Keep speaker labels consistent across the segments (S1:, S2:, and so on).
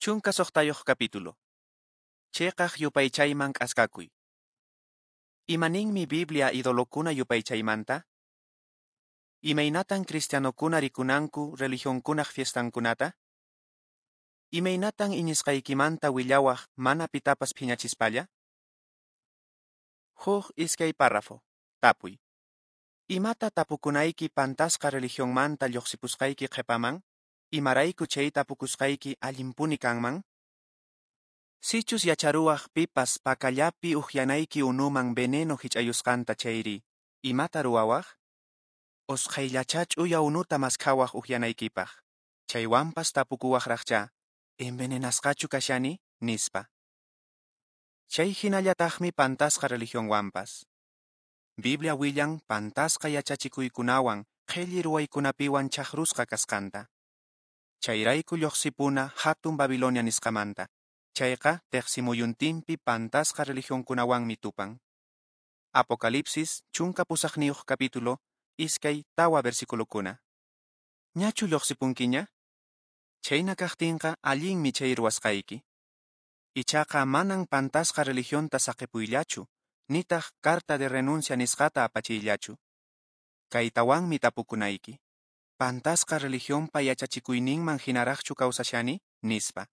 S1: 16 capítulo. Chiqaq yupaychayman k'askakuy. Imaninmi Biblia idolokuna yupaychaymanta? Imaynatan cristianokuna rikunanku religionkunaq fiestankunata? Imaynatan iñisqaykimanta willawaq mana pitapas phiñachispalla? 1, 2 párrafo. Tapuy. Imata tapukunayki pantasqa religionmanta lluqsipusqayki qhipaman? Imarayku chay tapukusqayki allinpuni kanman? Sichus yacharuwaq pipas pakallapi uqyanayki unuman veneno hich'ayusqanta chayri, imata ruwawaq? Usqhayllacha ch'uya unuta maskhawaq uqyanaykipaq. Chaywanpas tapukuwaqraqcha, envenenasqachu kashani? Nispa. Chay hinallataqmi pantasqa religionwanpas. Biblia willan pantasqa yachachikuykunawan qhelli ruwaykunapiwan chaqrusqa kasqanta. Chayrayku lluqsipuna hatun Babilonia nisqamanta. Chayqa teqsimuyuntinpi pantasqa religionkunawanmi tupan. Apocalipsis 18 capítulo 2, 4 versiculokuna. Ñachu lluqsipunkiña? Chayna kaqtinqa allinmi chay ruwasqayki. Ichaqa manan pantasqa religionta saqipuyllachu, nitaq carta de renuncia nisqata apachiyllachu. Kaytawanmi tapukunayki. Pantasqa religionpa yachachikuyninman hinaraqchu kawsashani? Nispa.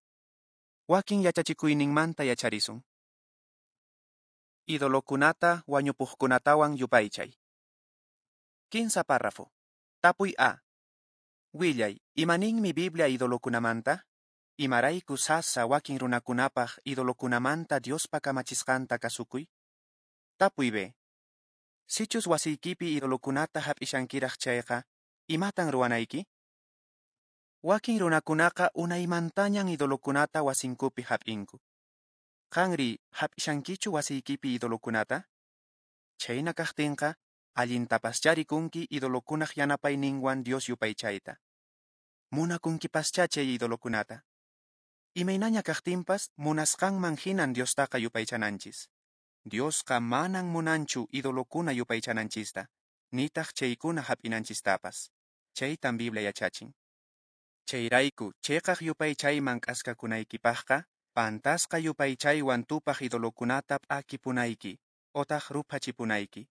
S1: Wakin yachachikuyninmanta yacharisun. Idolokunata wañupuqkunatawan yupaychay. 15 párrafo. Tapuy A. Willay, imaninmi Biblia idolokunamanta? Imarayku sasa wakin runakunapaq idolokunamanta Diospa kamachisqanta kasukuy? Tapuy B. Sichus wasiykipi idolokunata hap'ishankiraq chayqa, imatan ruwanayki? Wakin runakunaqa unaymantañan idolokunata wasinkupi hap'inku. Qanri, hap'ishankichu wasiykipi idolokunata? Chayna kaqtinqa, allintapaschá rikunki idolokunaq yanapayninwan Dios yupaychayta. Munakunkipaschá chay idolokunata. Imaynaña kaqtinpas munasqanman hinan Diostaqa yupaychananchis. Diosqa manan munanchu idolokuna yupaychananchista, nitaq chaykuna hap'inanchistapas. Chaytan Biblia yachachin. Chayrayku chiqaq yupaychayman k'askakunaykipaqqa, pantasqa yupaychaywan tupaq idolokunata p'akipunayki, otaq ruphachipunayki.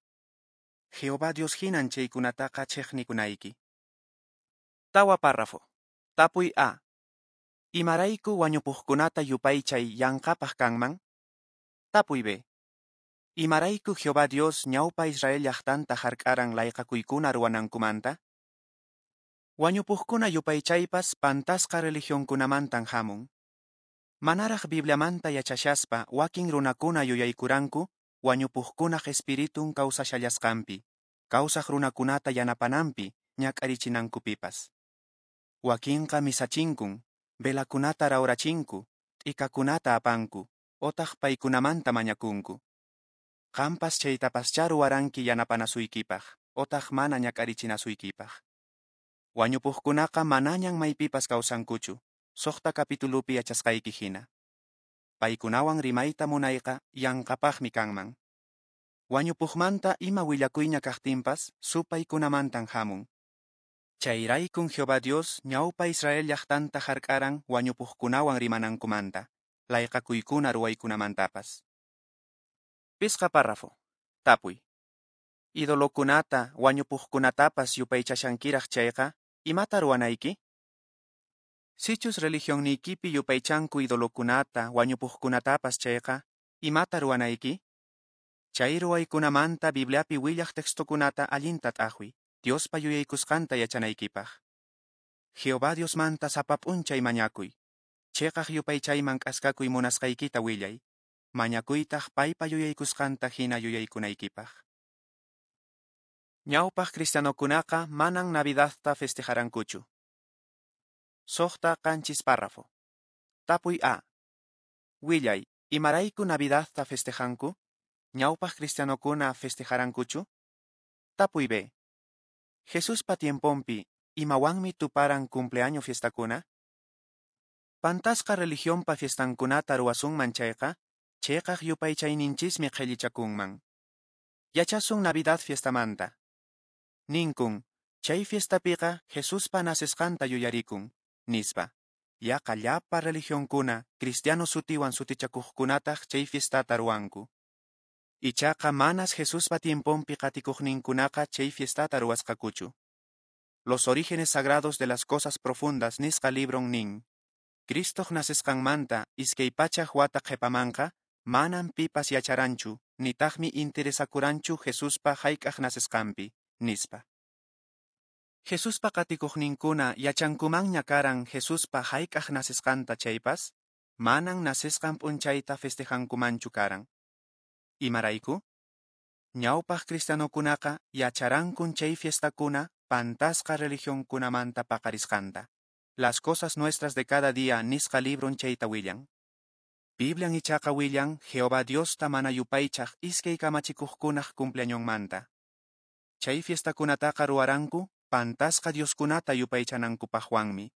S1: Jehová Dios hinan chaykunataqa chiqnikunayki. 4 párrafo. Tapuy A. Imarayku wañupuqkunata yupaychay yanqapaq kanman? Tapuy B. Imarayku Jehová Dios ñawpa Israel llaqtanta hark'aran layqakuykuna ruwanankumanta? Wañupuqkuna yupaychaypas pantasqa religionkunamantan hamun. Manaraq Bibliamanta yachashaspa wakin runakuna yuyaykuranku wañupuqkunaq espiritun kawsashallasqanpi, kawsaq runakunata yanapananpi, ñak'arichinankupipas. Wakinqa misachinkun, velakunata rawrachinku, t'ikakunata apanku, otaq paykunamanta mañakunku. Qampas chaytapaschá ruwaranki yanapanasuykipaq, otaq mana ñak'arichinasuykipaq. Wañupuqkunaqa manañan maypipas kawsankuchu, 6 capitulupi yachasqayki hina. Paykunawan rimayta munayqa yanqapaqmi kanman. Wañupuqmanta ima willakuyña kaqtinpas supaykunamantan hamun. Chayraykun Jehová Dios ñawpa Israel llaqtanta hark'aran wañupuqkunawan rimanankumanta, layqakuykuna ruwaykunamantapas. 5 párrafo. Tapuy. Idolokunata wañupuqkunatapas yupaychashankiraq chayqa, imata ruwanayki? Sichus religionniykipi yupaychanku idolokunata wañupuqkunatapas chayqa, imata ruwanayki? Chay ruwaykunamanta Bibliapi willaq textokunata allinta t'aqwiy, Diospa yuyaykusqanta yachanaykipaq. Jehová Diosmanta sapa p'unchay mañakuy. Chiqaq yupaychayman k'askakuy munasqaykita willay. Mañakuytaq paypa yuyaykusqanta hina yuyaykunaykipaq. Ñawpaq cristianokunaqa manan Navidadta festejarankuchu. 6, 7 párrafo. Tapuy A. Willay, imarayku Navidadta festejanku? Ñawpaq cristianokuna festejarankuchu? Tapuy B. Jesuspa tiemponpi, imawanmi tuparan cumpleaño fiestakuna? Pantasqa religionpa fiestankunata ruwasunman chayqa, chiqaq yupaychayninchismi qhellichakunman. Yachasun Navidad fiestamanta. Ninkun, chay fiestapiqa Jesuspa nacesqanta yuyarikun, nispa. Yaqa llapa religionkuna, cristiano sutiwan sutichakuqkunataq chay fiestata ruwanku. Ichaqa manas Jesuspa tiemponpi qatikuqninkunaqa chay fiestata ruwasqakuchu. Los orígenes sagrados de las cosas profundas nisqa libron nin: Cristoq nacesqanmanta 200 wata qhepamanqa manan pipas yacharanchu, nitaqmi interesakuranchu Jesuspa hayk'aq nacesqanpi, nispa. Jesuspa qatikuqninkuna yachankumanña karan Jesuspa hayk'aq nacesqanta chaypas, manan nacesqan p'unchayta festejankumanchu karan. Imarayku? Ñawpaq cristianokunaqa yacharankun chay fiestakuna pantasqa religionkunamanta paqarisqanta. Las cosas nuestras de cada día nisqa libron chayta willan. Biblian ichaqa willan Jehová Diosta mana yupaychaq iskay kamachikuqkunaq cumpleañonmanta. Chay fiestakunataqa ruwaranku pantasqa dioskunata yupaychanankupaqwanmi.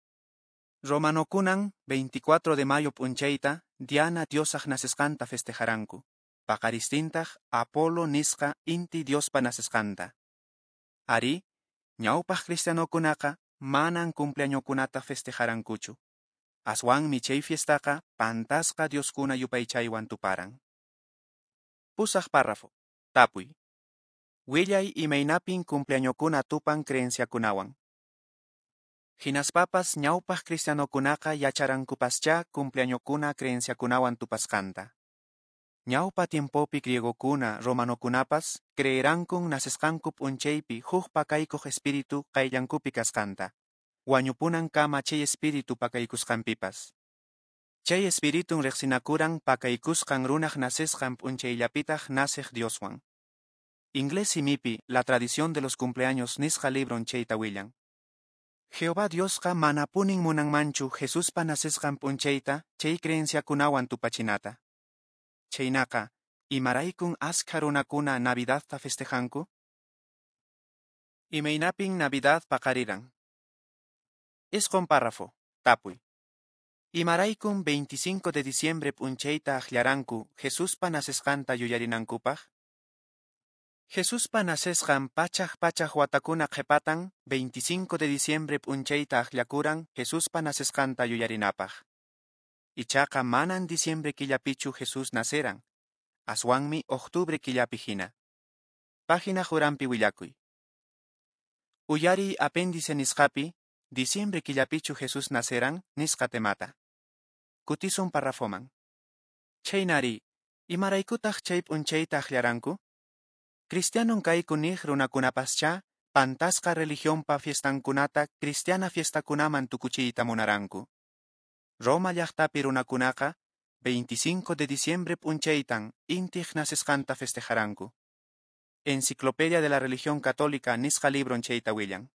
S1: Romanokunan 24 de mayo p'unchayta Diana diosaq nacesqanta festejaranku. Paqaristintaq Apolo nisqa Inti diospa nacesqanta. Arí, ñawpaq cristianokunaqa manan cumpleañokunata festejarankuchu. Aswanmi chay fiestaqa pantasqa dioskuna yupaychaywan tuparan. 8 párrafo. Tapuy. Willay imaynapin cumpleañokuna tupan creenciakunawan. Hinaspapas ñawpaq cristianokunaqa yacharankupaschá cumpleañokuna creenciakunawan tupasqanta. Ñawpa tiempopi griegokuna, romanokunapas creerankun nacesqanku p'unchaypi huk pakaykuq espíritu qayllankupi kasqanta. Wañupunankama chay espíritu pakaykusqanpipas. Chay espiritun riqsinakuran pakaykusqan runaq nacesqan p'unchayllapitaq naceq Dioswan. Inglés simipi La tradición de los cumpleaños nisqa libron chayta willan. Jehová Diosqa manapunin munanmanchu Jesuspa nacesqan p'unchayta chay creenciakunawan tupachinata. Chaynaqa, imaraykun askha runakuna Navidadta festejanku? Imaynapin Navidad paqariran? 9 párrafo. Tapuy. Imaraykun 25 de diciembre p'unchayta akllaranku Jesuspa nacesqanta yuyarinankupaq? Jesuspa nacesqan pachak pachak watakuna qhepatan 25 de diciembre p'unchayta akllakuran Jesuspa nacesqanta yuyarinapaq. Ichaqa manan diciembre killapichu Jesús naceran, aswanmi octubre killapi hina. Página uranpi willakuy. Uyariy apéndice nisqapi, diciembre killapichu Jesús naceran nisqa temata. Kutisun parrafoman. Chhaynari, imaraykutaq chay p'unchayta akllaranku? Cristianon kayku niq runakunapaschá pantasqa religionpa fiestankunata cristiana fiestakunaman tukuchiyta munaranku. Roma llaqtapi runakunaqa 25 de diciembre p'unchaytan Intiq nacesqanta festejaranku. Enciclopedia de la Religión Católica nisqa libron chayta willan.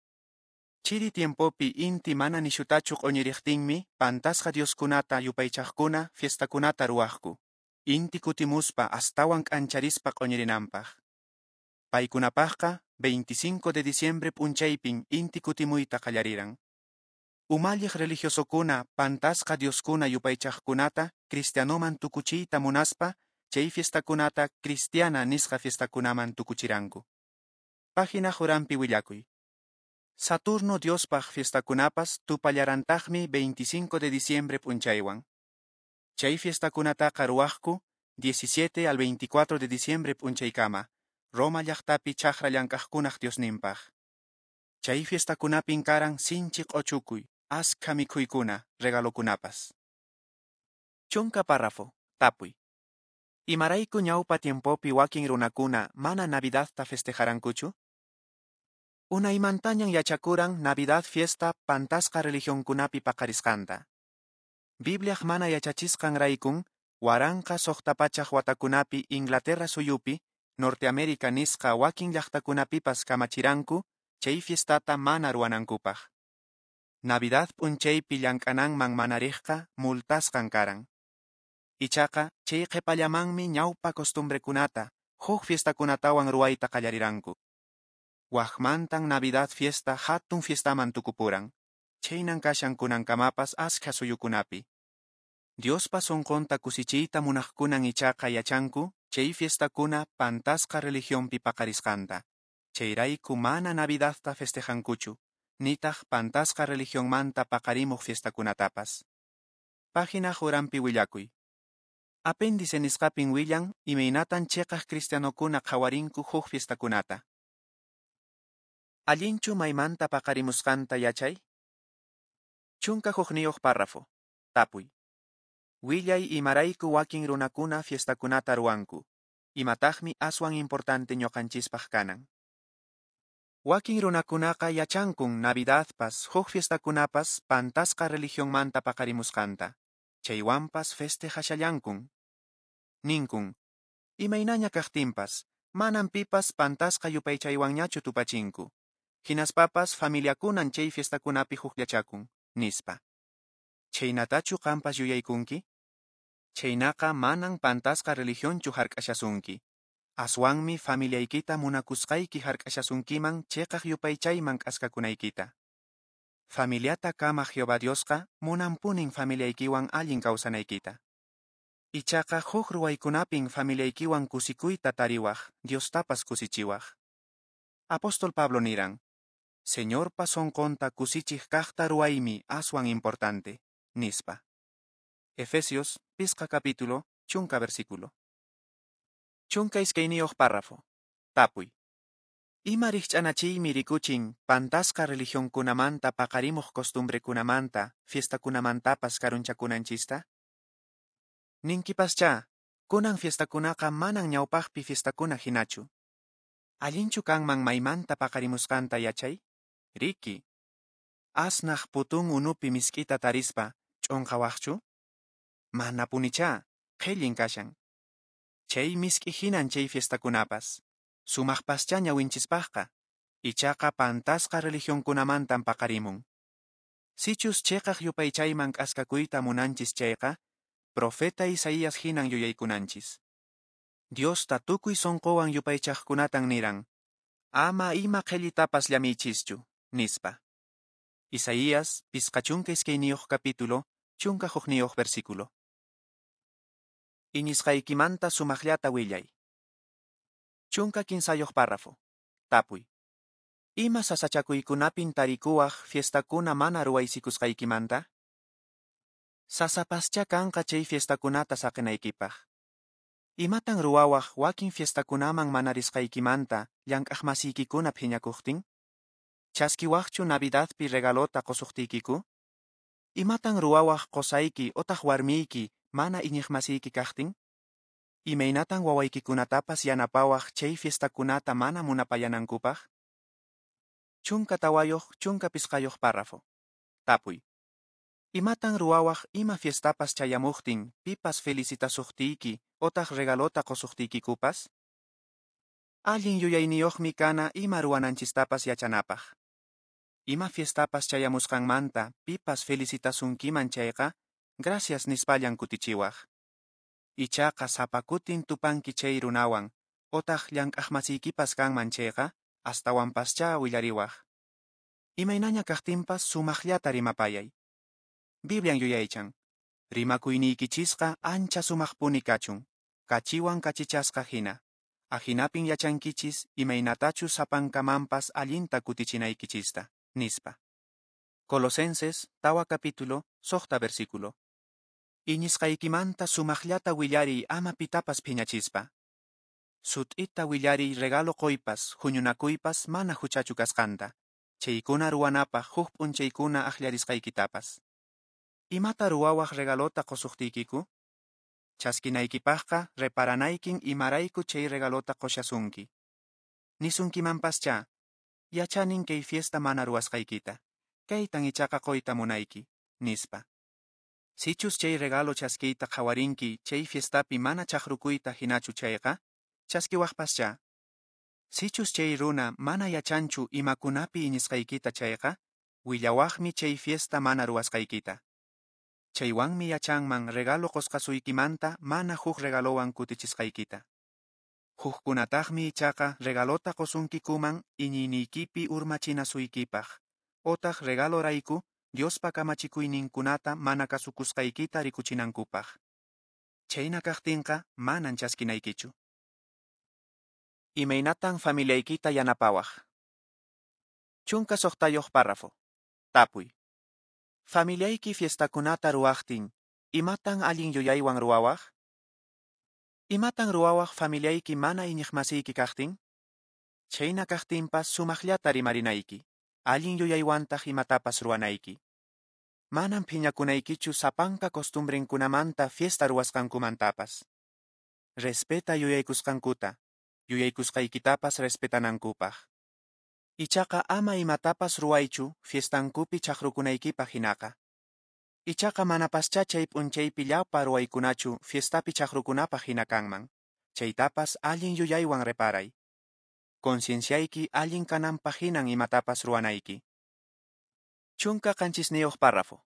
S1: Chiri tiempopi Inti mana nishutachu q'uñiriqtinmi pantasqa dioskunata yupaychaqkuna fiestakunata ruwaqku. Inti kutimuspa astawan k'ancharispa q'uñirinanpaq. Paykunapaqqa 25 de diciembre p'unchaypin Inti kutimuyta qallariran. Umalliq religiosokuna pantasqa dioskuna yupaychaqkunata cristianoman tukuchiyta munaspa chay fiestakunata cristiana nisqa fiestakunaman tukuchiranku. Página uranpi willakuy. Saturno diospaq fiestakunapas tupallarantaqmi 25 de diciembre p'unchaywan. Chay fiestakunataqa ruwaqku 17 al 24 de diciembre p'unchaykama, Roma llaqtapi chakra llank'aqkunaq diosninpaq. Chay fiestakunapin karan sinchi q'ochukuy, askha mikhuykuna, regalokunapas. 10 párrafo. Tapuy. Imarayku ñawpa tiempopi wakin runakuna mana Navidadta festejarankuchu? Unaymantañan yachakuran Navidad fiesta pantasqa religionkunapi paqarisqanta. Bibliaq mana yachachisqanraykun 1600 watakunapi Inglaterra suyupi, Norteamérica nisqa wakin llaqtakunapipas kamachiranku chay fiestata mana ruwanankupaq. Navidad p'unchaypi llank'ananman mana riqqa multasqan karan. Ichaqa chay qhipallamanmi ñawpa costumbrekunata, huk fiestakunatawan ruwayta qallariranku. Waqmantan Navidad fiesta hatun fiestaman tukupuran. Chhaynan kashan kunankamapas askha suyukunapi. Diospa sunqunta kusichiyta munaqkunan ichaqa yachanku chay fiestakuna pantasqa religionpi paqarisqanta. Chayrayku mana Navidadta festejankuchu, nitaq pantasqa religionmanta paqarimuq fiestakunatapas. Paginaq uranpi willakuy. Apéndice nisqapin willan imaynatan cheqaq cristianokuna qhawarinku huk fiestakunata. Allinchu maymanta paqarimusqanta yachay? 11 párrafo. Tapuy. Willay imarayku wakin runakuna fiestakunata ruwanku. Imataqmi aswan importante ñuqanchispaq kanan. Wakin runakunaqa yachankun Navidadpas huk fiestakunapas pantasqa religionmanta paqarimusqanta. Chaywanpas festejashallankun. Ninkun, imaynaña kaqtinpas, manan pipas pantasqa yupaychaywanñachu tupachinku. Hinaspapas familiakunan chay fiestakunapi hukllachakun, nispa. Chhaynatachu qanpas yuyaykunki? Chhaynaqa manan pantasqa religionchu hark'ashasunki. Aswanmi familiaykita munakusqayki hark'ashasunkiman cheqaq yupaychayman k'askakunaykita. Familiata kamaq Jehová Diosqa munanpunin familiaykiwan allin kawsanaykita. Ichaqa huk ruwaykunapin familiaykiwan kusikuyta tariwaq, Diostapas kusichiwaq. Apóstol Pablo niran, Señorpa sonqonta kusichiq kaqta ruwaymi aswan importante, nispa. Efesios, 5 capítulo, 10 versículo. 12 párrafo. Tapuy. Ima rikch'anachiymi rikuchin pantasqa religionkunamanta paqarimuq costumbrekunamanta, fiestakunamantapas karunchakunanchista? Ninkipaschá, kunan fiestakunaqa manan ñawpaqpi fiestakuna hinachu. Allinchu kanman maymanta paqarimusqanta yachay? Riki. Asnaq putun unupi misk'ita tarispa, ch'unqawaqchu? Manapunichá, qhillin kashan. Chay misk'i hinan chay fiestakunapas. Sumaqpaschá ñawinchispaqqa, ichaqa pantasqa religionkunamantan paqarimun. Sichus cheqaq yupaychayman k'askakuyta munanchis chayqa, profeta Isaías hinan yuyaykunanchis. Diosta tukuy sonqowan yupaychaqkunatan niran, ama ima qhellitapas llamiychischu, nispa. Isaías, 52 capítulo, 11 versículo. Iñisqaykimanta sumaqllata willay. 13 párrafo. Tapuy. Ima sasachakuykunapin tarikuwaq fiestakuna mana ruwaysikusqaykimanta? Sasapaschá kanqa chay fiestakunata saqinaykipaq. Imatan ruwawaq wakin fiestakunaman mana risqaykimanta llank'aqmasiykikuna phiñakuqtin? Chaskiwaqchu Navidadpi regalota qusuqtiykiku? Imatan ruwawaq qosayki otaq warmiyki mana iñiqmasiyki kaqtin? Imaynatan wawaykikunatapas yanapawaq chay fiestakunata mana munapayanankupaq? 14 15 párrafo. Tapuy. Imatan ruwawaq ima fiestapas chayamuqtin pipas felicitasuqtiyki otaq regalota qusuqtiykikupas? Allin yuyayniyuqmi kana ima ruwananchistapas yachanapaq. Ima fiestapas chayamusqanmanta pipas felicitasunkiman chayqa, gracias nispallan kutichiwaq. Ichaqa sapa kutin tupanki chay runawan, otaq llank'aqmasiykipas kanman chayqa, astawanpaschá willariwaq. Imaynaña kaqtinpas sumaqllata rimapayay. Biblian yuyaychan, rimakuyniykichisqa ancha sumaqpuni kachun, kachiwan kachichasqa hina. Ahinapin yachankichis imaynatachus sapankamanpas allinta kutichinaykichista, nispa. Colosenses, 4 capítulo, 6 versículo. Iñisqaykimanta sumaqllata willariy ama pitapas phiñachispa. Sut'ita willariy regalo qoypas, huñunakuypas mana huchachu kasqanta. Chaykuna ruwanapaq huk p'unchaykuna akllarisqaykitapas. Imata ruwawaq regalota qusuqtiykiku? Chaskinaykipaqqa reparanaykin imarayku chay regalota qushasunki. Nisunkimanpaschá, yachanin kay fiesta mana ruwasqaykita. Kaytan ichaqa qoyta munayki, nispa. Sichus chay regalo chaskiyta qhawarinki chay fiestapi mana chaqrukuyta hinachu chayqa, chaskiwaqpaschá. Sichus chay runa mana yachanchu imakunapi iñisqaykita chayqa, willawaqmi chay fiesta mana ruwasqaykita. Chaywanmi yachanman regalo qusqasuykimanta mana huk regalowan kutichisqaykita. Hukkunataqmi ichaqa regalota qusunkikuman iñiyniykipi urmachinasuykipaq, otaq regalorayku Diospa kamachikuyninkunata mana kasukusqaykita rikuchinankupaq. Chayna kaqtinqa manan chaskinaykichu. Imaynatan familiaykita yanapawaq. 16 párrafo. Tapuy. Familiayki fiestakunata ruwaqtin, Imatan allin yuyaywan ruwawaq? Imatan ruwawaq familiayki mana iñiqmasiyki kaqtin? Chhayna kaqtinpas sumaqllata rimarinayki, allin yuyaywantaq imatapas ruwanayki. Manan phiñakunaykichu sapanka costumbrenkunamanta fiesta ruwasqankumantapas. Respeta yuyaykusqankuta, yuyaykusqaykitapas respetanankupaq. Ichaqa ama imatapas ruwaychu fiestankupi chaqrukunaykipaq hinaqa. Ichaqa manapaschá chay p'unchaypi llapa ruwaykunachu fiestapi chaqrukunapaq hina kanman. Chaytapas allin yuyaywan reparay. Concienciayki allin kananpaq hinan imatapas ruwanayki. 17 párrafo.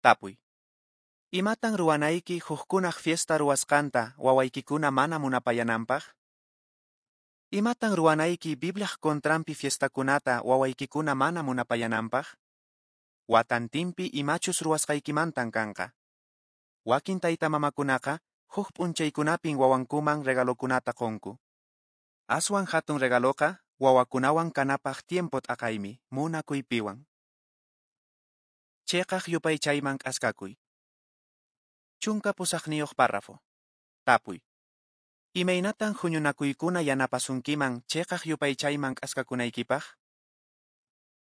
S1: Tapuy. Imatan ruwanayki hukkunaq fiesta ruwasqanta wawaykikuna mana munapayananpaq? Imatan ruwanayki Bibliaq contranpi fiestakunata wawaykikuna mana munapayananpaq? Watantinpi imachus ruwasqaykimantan kanqa. Wakin tayta mamakunaqa huk p'unchaykunapin wawankuman regalokunata qonku. Aswan hatun regaloqa wawakunawan kanapaq tiempo t'aqaymi munakuypiwan. Cheqaq yupaychayman k'askakuy. 18 párrafo. Tapuy. Imaynatan huñunakuykuna yanapasunkiman cheqaq yupaychayman k'askakunaykipaq?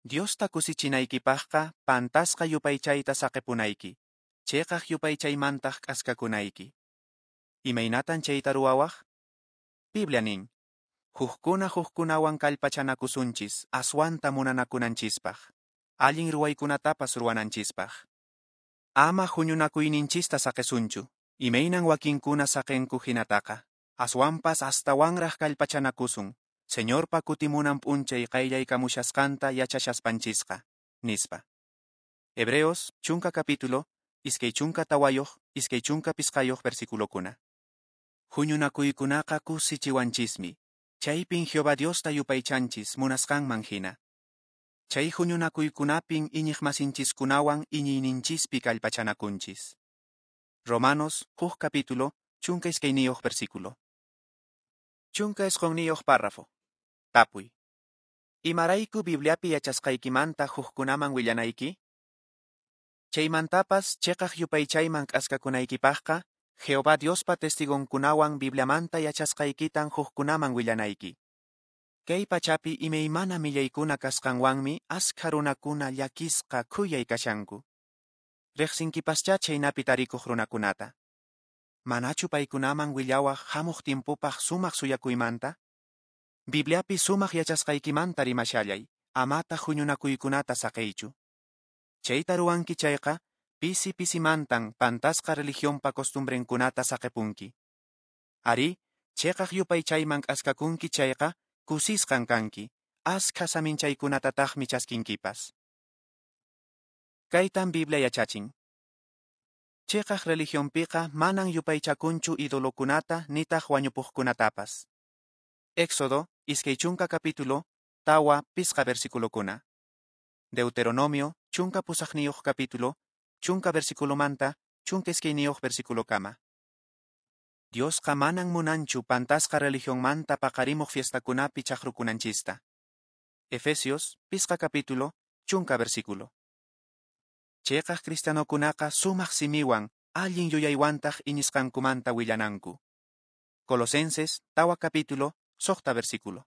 S1: Diosta kusichinaykipaqqa pantasqa yupaychayta saqepunayki, cheqaq yupaychaymantaq k'askakunayki. Imaynatan chayta ruwawaq? Biblia nin, hukkuna hukkunawan kallpachanakusunchis aswanta munanakunanchispaq, allin ruwaykunatapas ruwananchispaq. Ama huñunakuyninchista saqesunchu, imaynan wakinkuna saqenku hinataqa, aswanpas astawanraq kallpachanakusun, Señorpa kutimunan p'unchay qayllaykamushasqanta yachashaspanchisqa, nispa. Hebreos, 10 capítulo, 24, 25 versiculokuna. Huñunakuykunaqa kusichiwanchismi, chaypin Jehová Diosta yupaychanchis munasqanman hina. Chay huñunakuykunapin iñiqmasinchiskunawan iñiyninchispi kallpachanakunchis. Romanos, 1 capítulo, 12 versículo. 19 párrafo. Tapuy. Imarayku Bibliapi yachasqaykimanta hukkunaman willanayki? Chaymantapas cheqaq yupaychayman k'askakunaykipaqqa, Jehová Diospa testigonkunawan Bibliamanta yachasqaykitan hukkunaman willanayki. Kay pachapi imaymana millaykuna kasqanwanmi askha runakuna llakisqa khuyay kashanku. Riqsinkipaschá chhaynapi tarikuq runakunata. Manachu paykunaman willawaq hamuq tiempopaq sumaq suyakuymanta? Bibliapi sumaq yachasqaykimanta rimashallay, amata huñunakuykunata saqeychu. Chayta ruwanki chayqa, pisi pisimantan pantasqa religionpa costumbrenkunata saqepunki. Ari, cheqaq yupaychayman k'askakunki chayqa, kusisqan kanki, askha saminchaykunatataqmi chaskinkipas. Kaytan Biblia yachachin. Cheqaq religionpiqa manan yupaychakunchu idolokunata nitaq wañupuqkunatapas. Éxodo, 20 capítulo, 4 5 versiculokuna. Deuteronomio, 18 capítulo, 10 versiculomanta, 12 versiculokama. Diosqa manan munanchu pantasqa religionmanta paqarimuq fiestakunapi chaqrukunanchista. Efesios, 5 capítulo, 10 versículo. Cheqaq cristianokunaqa sumaq simiwan, allin yuyaywantaq iñisqankumanta willananku. Colosenses, 4 capítulo, 6 versículo.